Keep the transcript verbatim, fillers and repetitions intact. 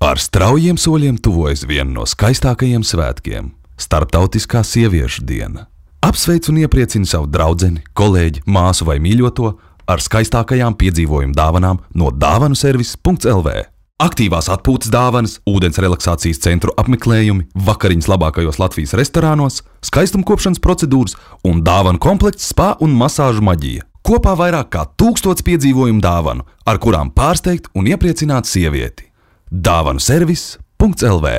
Ar straujiem soļiem tuvojas viena no skaistākajiem svētkiem – Starptautiskā sieviešu diena. Apsveic un iepriecini savu draudzeni, kolēģi, māsu vai mīļoto ar skaistākajām piedzīvojumu dāvanām no dāvanu servis punkts el vē. Aktīvās atpūtas dāvanas, ūdens relaksācijas centru apmeklējumi, vakariņas labākajos Latvijas restorānos, skaistumkopšanas procedūras un dāvanu komplekts spa un masāžu maģija. Kopā vairāk kā tūkstots piedzīvojumu dāvanu, ar kurām pārsteigt un iepriecināt sievieti. dāvanu servis punkts el vē